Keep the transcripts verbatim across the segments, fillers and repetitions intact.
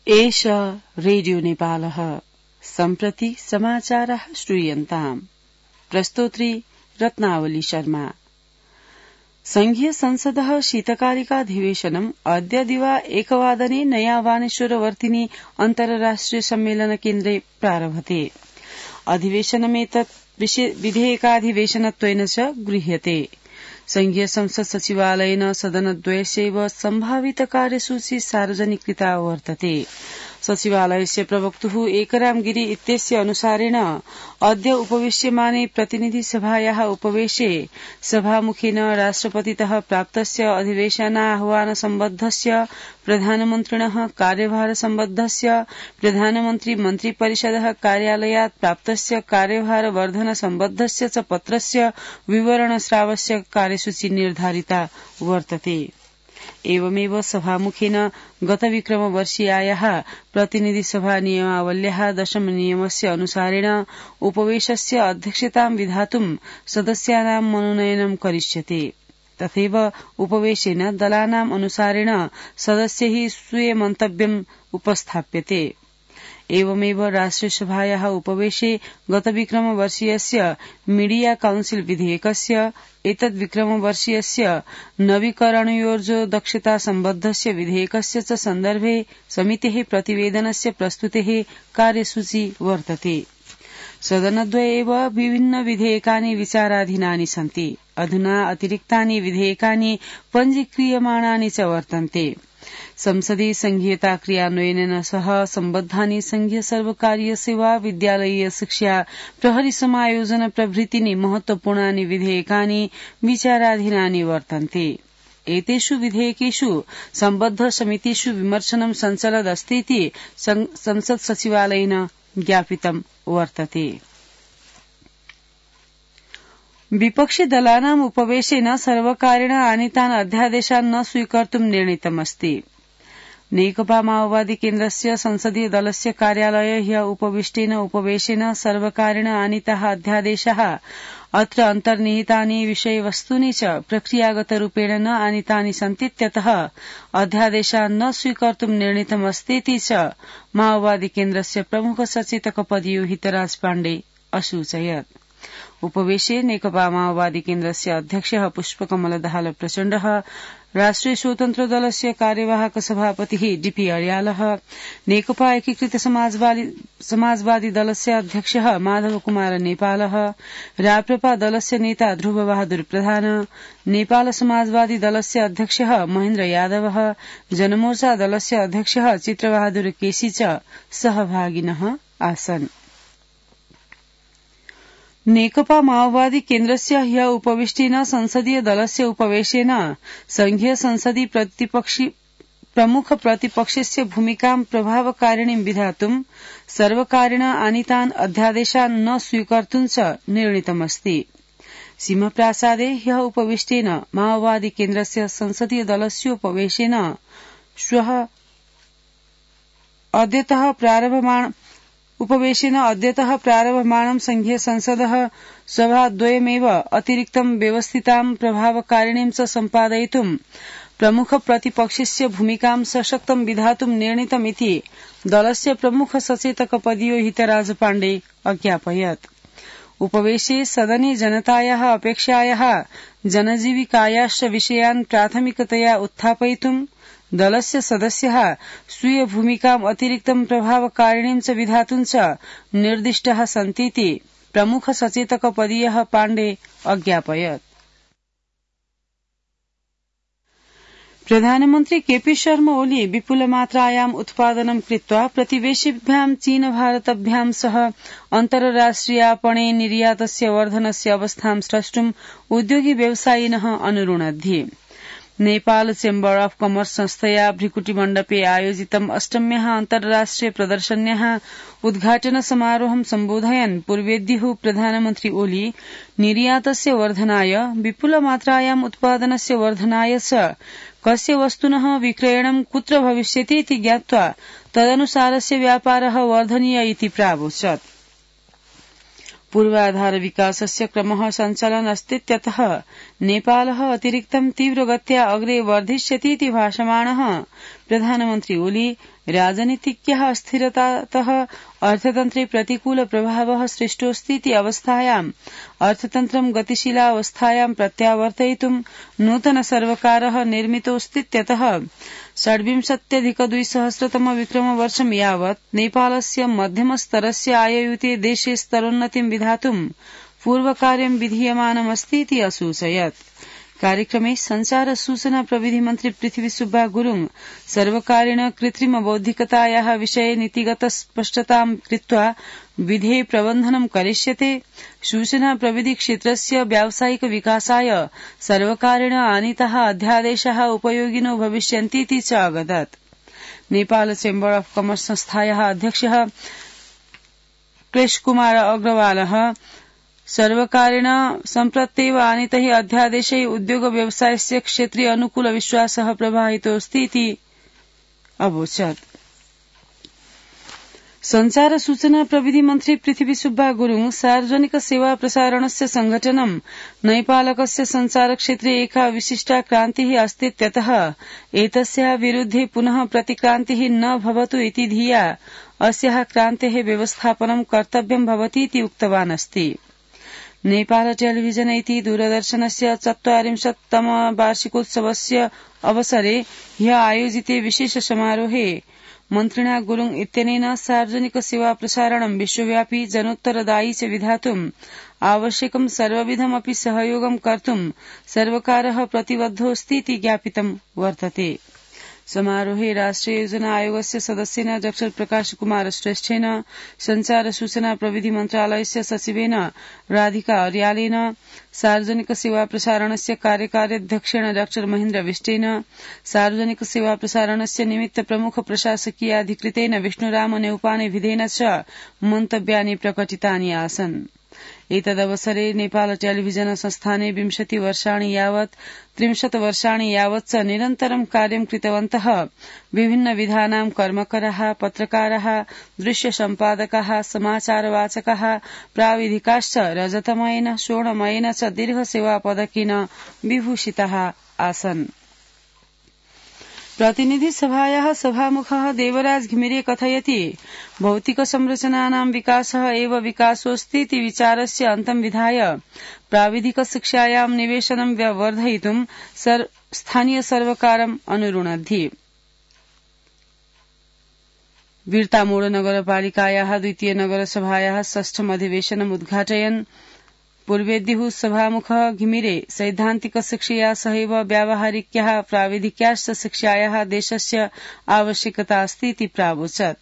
एष रेडियो नेपालः सम्प्रति समाचारः श्रूयन्ताम्। प्रस्तोत्री रत्नावली शर्मा। संघीय संसदः शीतकालिकाधिवेशनम् अद्य दिवा एकवादने नयावानेश्वरवर्तिनि अन्तर्राष्ट्रिय सम्मेलन केन्द्रे प्रारभते। अधिवेशनमेतत् विधेयकाधिवेशनत्वेन च गृह्यते। संघीय संसद सचिवालयेन सदनद्वयस्यैव सम्भावित कार्यसूची सार्वजनिकृता वर्तते। सचिवालयस्य प्रवक्तुः एकराम गिरी इत्यस्य अनुसारेण अद्य उपवेश्यमाने प्रतिनिधिसभायाः उपवेशे सभामुखेन राष्ट्रपतितः प्राप्तस्य अधिवेशनाह्वान सम्बद्धस्य प्रधानमन्त्रिणः कार्यभार सम्बद्धस्य प्रधानमन्त्री मन्त्रिपरिषदः कार्यालयात् प्राप्तस्य कार्यभार वर्धन सम्बद्धस्य च पत्रस्य विवरणस्रावस्य कार्यसूची निर्धारिता वर्तते। एवमेव सभामुखेन गतविक्रमवर्षीयायाः प्रतिनिधिसभा नियमावल्याः दशम नियमस्य अनुसारेण उपवेशस्य अध्यक्षतां विधातुं सदस्यानां मनोनयनं करिष्यते। तथैव उपवेशेन दलानाम् अनुसारेण सदस्यैः स्वीय मन्तव्यम् उपस्थाप्यते। एवमेव राष्ट्रियसभायाः उपवेशे गतविक्रमवर्षीयस्य मीडिया काउन्सिल विधेयकस्य एतद् विक्रमवर्षीयस्य नवीकरणयोर्जो दक्षता सम्बद्धस्य विधेयकस्य च सन्दर्भे समितेः प्रतिवेदनस्य प्रस्तुतेः कार्यसूची वर्तते। सदनद्वये एव विभिन्न विधेयकानि विचाराधीनानि सन्ति। अधुना अतिरिक्तानि विधेयकानि पञ्जीक्रियमाणानि च वर्तन्ते। संसदि संघीयता क्रियान्वयनेन सह सम्बद्धानि संघीय सर्वकारीय सेवा विद्यालयीय शिक्षा प्रहरी समायोजन प्रभृतीनि महत्वपूर्णानि विधेयकानि विचाराधीनानि वर्तन्ते। एतेषु विधेयकेषु सम्बद्ध समितिषु विमर्शनं सञ्चलदस्तीति संसद सचिवालयेन ज्ञापितं वर्तते। विपक्षि दलानाम् उपवेशेन सर्वकारेण आनीतान् अध्यादेशान् न स्वीकर्तुं निर्णीतमस्ति। नेकपा माओवादी केन्द्रस्य संसदीय दलस्य कार्यालये ह्य उपविष्टेन उपवेशेन सर्वकारेण आनीताः अध्यादेशाः अत्र अन्तर्निहितानि विषयवस्तूनि च प्रक्रियागतरूपेण न आनीतानि सन्तीत्यतः अध्यादेशान् न स्वीकर्तुं निर्णीतमस्तीति च माओवादी केन्द्रस्य प्रमुख सचेतकपदीयो हितराज पाण्डे असूचयत्। उपवेशे नेकपा माओवादी केन्द्रस्य अध्यक्षः पुष्पकमल दाहाल प्रचण्डः, राष्ट्रिय स्वतन्त्र दलस्य कार्यवाहक सभापतिः डीपी अर्यालः, नेकपा एकीकृत समाजवादी दलस्य अध्यक्षः माधव कुमार नेपालः, राप्रपा दलस्य नेता ध्रुव बहादुर प्रधान, नेपाल समाजवादी दलस्य अध्यक्षः महेन्द्र यादवः, जनमोर्चा दलस्य अध्यक्षः चित्रबहादुर केसी च सहभागिनः आसन्। नेकपा माओवादी केन्द्रस्य ह्य उपविष्टेन संसदीय दलस्य उपवेशेन संघीय संसदि प्रतिपक्षि प्रमुख प्रतिपक्षस्य भूमिकां प्रभावकारिणीं विधातुं सर्वकारेण आनीतान् अध्यादेशान् न स्वीकर्तुं च निर्णीतमस्ति। सिंहप्रासादे ह्य उपविष्टेन माओवादी केन्द्रस्य संसदीय दलस्योपवेशेन श्वः अद्यतः प्रारभमाण उपवेशेन अद्यतः प्रारभमाणं संघीय संसदः सभाद्वयमेव अतिरिक्तं व्यवस्थितां प्रभावकारिणीं च सम्पादयितुं प्रमुख प्रतिपक्षस्य भूमिकां सशक्तं विधातुं निर्णीतमिति दलस्य प्रमुख सचेतकपदीयो हितराज पाण्डे अज्ञापयत्। उपवेशे सदने जनतायाः अपेक्षायाः जनजीविकायाश्च विषयान् प्राथमिकतया उत्थापयितुं दलस्य सदस्याः स्वीय भूमिकाम् अतिरिक्तं प्रभावकारिणीं च विधातुं च निर्दिष्टाः सन्तीति प्रमुख सचेतकपदीयः पाण्डे अज्ञापयत्। प्रधानमन्त्री केपी शर्मा ओली विपुलमात्रायाम् उत्पादनं कृत्वा प्रतिवेशिभ्यां चीन भारतभ्यां सह अन्तर्राष्ट्रियापणे निर्यातस्य वर्धनस्य अवस्थां स्रष्टुं उद्योगी व्यवसायिनः अनुरुणद्धि। नेपाल चेम्बर ऑफ कॉमर्स संस्थया भ्रिकुटी आयोजितम् अष्टम्याः अन्तर्राष्ट्रिय प्रदर्शन्याः उद्घाटन समारोहं सम्बोधयन् पूर्वेद्युः प्रधानमन्त्री ओली निर्यातस्य वर्धनाय विपुलमात्रायाम् उत्पादनस्य वर्धनाय च कस्य वस्तुनः विक्रयणं कुत्र भविष्यति इति ज्ञात्वा तदनुसारस्य व्यापारः वर्धनीय इति प्रावोचत्। पूर्वाधार विकासस्य क्रमः सञ्चालन अस्तीत्यतः नेपालः अतिरिक्तं तीव्रगत्या अग्रे वर्धिष्यति इति भाषमाणः प्रधानमन्त्री ओली राजनीतिज्ञः अस्थिरतातः अर्थतन्त्रे प्रतिकूल प्रभावः सृष्टोऽस्तीति अवस्थायाम् अर्थतन्त्रं गतिशीलावस्थायां प्रत्यावर्तयितुं नूतन सर्वकारः निर्मितोऽस्तीत्यतः षड्विंशत्यधिकद्विसहस्रतम विक्रमवर्षं यावत् नेपालस्य मध्यमस्तरस्य आययुते देशे स्तरोन्नतिं विधातुं पूर्वकार्यं विधीयमानमस्तीति असूचयत्। कार्यक्रमे संचार सूचना प्रविधि मन्त्री पृथ्वी सुब्बा गुरुङ सर्वकारेण कृत्रिम बौद्धिकतायाः विषये नीतिगत स्पष्टतां कृत्वा विधेय प्रबन्धनं करिष्यते। सूचना प्रविधि क्षेत्रस्य व्यावसायिक विकासाय सर्वकारेण आनीताः अध्यादेशाः उपयोगिनो भविष्यन्तीति च अवदत्। नेपाल चेम्बर अफ कमर्स संस्थायाः अध्यक्षः क्लेशकुमार अग्रवालः सर्वकारेण सम्प्रत्येव आनीतैः अध्यादेशैः उद्योग व्यवसायस्य क्षेत्रीय अनुकूल विश्वासः प्रवाहितोऽस्तीति अवोचत्। संचार सूचना प्रविधि मन्त्री पृथ्वी सुब्बा गुरुङ सार्वजनिक सेवा प्रसारणस्य संघटनं नैपालकस्य संचार क्षेत्रे एका विशिष्टा क्रान्तिः अस्तीत्यतः एतस्याः विरुद्धे पुनः प्रतिक्रान्तिः न भवतु इति धिया अस्याः क्रान्तेः व्यवस्थापनं कर्तव्यं भवतीति उक्तवान् अस्ति। नेपाल टेलिभिजन इति दूरदर्शनस्य चत्वारिंशत्तम वार्षिकोत्सवस्य अवसरे ह्यः आयोजिते विशेष समारोहे मन्त्रिणा गुरुङ इत्यनेन सार्वजनिक सेवा प्रसारणं विश्वव्यापी जनोत्तरदायी च विधातुम् आवश्यकं सर्वविधमपि सहयोगं कर्तुं सर्वकारः प्रतिबद्धोऽस्तीति ज्ञापितं वर्तते। समारोहे राष्ट्रिय योजना आयोगस्य सदस्येन डॉ प्रकाश कुमार श्रेष्ठेन संचार सूचना प्रविधि मन्त्रालयस्य सचिवेन राधिका अर्यालेन सार्वजनिक सेवा प्रसारणस्य कार्यकार्यध्यक्षेण डॉ महेन्द्र विष्टेन सार्वजनिक सेवा प्रसारणस्य निमित्त प्रमुख प्रशासकीयाधिकृतेन विष्णुराम नेउपाने विधेन च मन्तव्यानि प्रकटितानि आसन्। एतदवसरे नेपाल टेलिभिजन संस्थाने विंशति वर्षाणि यावत् त्रिंशत् वर्षाणि यावत् च निरन्तरं कार्यं कृतवन्तः विभिन्न विधानां कर्मकराः पत्रकाराः दृश्य सम्पादकाः समाचारवाचकाः प्राविधिकाश्च रजतमयेन स्वर्णमयेन च दीर्घ सेवा पदकेन विभूषिताः आसन्। प्रतिनिधि सभायाः सभामुखः देवराज घिमिरे कथयति भौतिक संरचनानां विकासः एव विकासोऽस्तीति विचारस्य अन्तं विधाय प्राविधिक शिक्षायां निवेशनं वर्धयितुं स्थानीय सर्वकारम् अनुरुणद्धि। वीर्तामोड़ नगरपालिकायाः द्वितीय नगरसभायाः षष्ठम् अधिवेशनम् उद्घाटयन् पूर्वेद्युः सभामुखः घिमिरे सैद्धान्तिक शिक्षया सहैव व्यावहारिक्याः प्राविधिक्याश्च शिक्षायाः देशस्य आवश्यकता अस्तीति प्रावोचत्।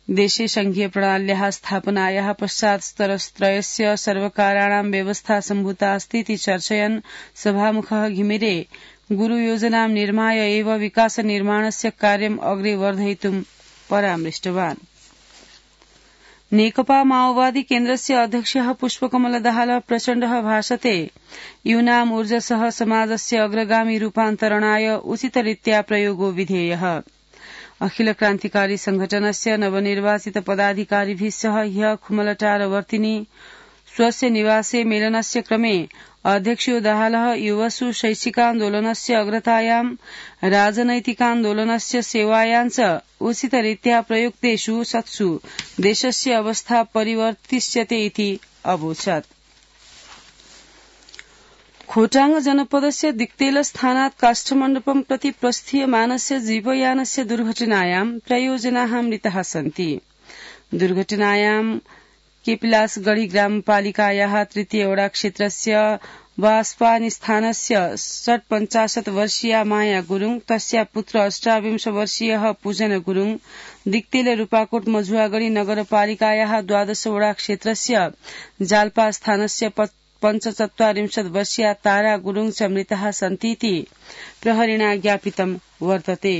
देशे संघीय प्रणाल्याः स्थापनायाः पश्चात् स्तरत्रयस्य सर्वकाराणां व्यवस्था सम्भूता अस्तीति चर्चयन् सभामुखः घिमिरे गुरुयोजनां निर्माय एव विकास निर्माणस्य कार्यम् अग्रे वर्धयितुं परामृष्टवान्। नेकपा माओवादी केन्द्रस्य अध्यक्षः पुष्पकमल दाहाल प्रचण्डः भाषते यूनाम् ऊर्जसः समाजस्य अग्रगामी रूपान्तरणाय उचितरीत्या प्रयोगो विधेयः। अखिल क्रान्तिकारी संघटनस्य नवनिर्वाचित पदाधिकारिभिः सह ह्यः खुमलटारवर्तिनि स्वस्य निवासे मेलनस्य क्रमे अध्यक्षो दाहालः युवसु शैक्षिकान्दोलनस्य अग्रतायां राजनैतिकान्दोलनस्य सेवायां च उचितरीत्या प्रयुक्तेषु सत्सु देशस्य अवस्था परिवर्तिष्यते इति अवोचत्। खोटाङ जनपदस्य दिक्तेल स्थानात् काष्ठमण्डपं प्रति प्रस्थीयमानस्य जीवयानस्य दुर्घटनायां त्रयोजनाः मृताः सन्ति। दुर्घटनायां केपिलासगढ़ी ग्रामपालिकायाः तृतीय वडा क्षेत्रस्य वास्पानी स्थानस्य षट्पञ्चाशत् वर्षीया माया गुरुङ तस्या पुत्र अष्टाविंश वर्षीयः पूजन गुरुङ दिक्तेल रूपाकोट मझुवागढ़ी नगरपालिकायाः द्वादश वडा क्षेत्रस्य जाल्पा स्थानस्य पञ्चचत्वारिंशत् वर्षीया तारा गुरुङ च मृताः सन्तीति प्रहरिणा ज्ञापितं वर्तते।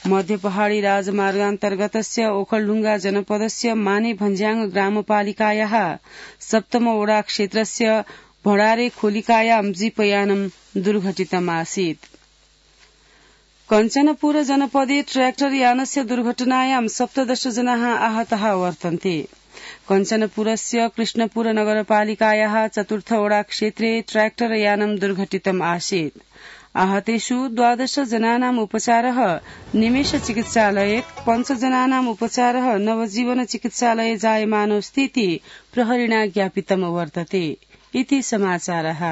मध्य पहाड़ी राजमार्गान्तर्गतस्य ओखलढुंगा जनपदस्य माने भन्ज्याङ ग्रामपालिकायाः सप्तम वडा क्षेत्रस्य भडारे खोलिकायां जीपयानं दुर्घटितमासीत्। कञ्चनपुर जनपदे ट्रैक्टर यानस्य दुर्घटनायां सप्तदश जनाः आहताः वर्तन्ते। कञ्चनपुरस्य कृष्णपुर नगरपालिकायाः चतुर्थ वडा क्षेत्रे ट्रैक्टर यानं दुर्घटितम् आसीत्। आहतेषु द्वादश जनानाम् उपचारः निमेष चिकित्सालये पञ्चजनानाम् उपचारः नवजीवन चिकित्सालये जायमानोऽस्ति इति प्रहरिणा ज्ञापितम् वर्तते इति समाचारः।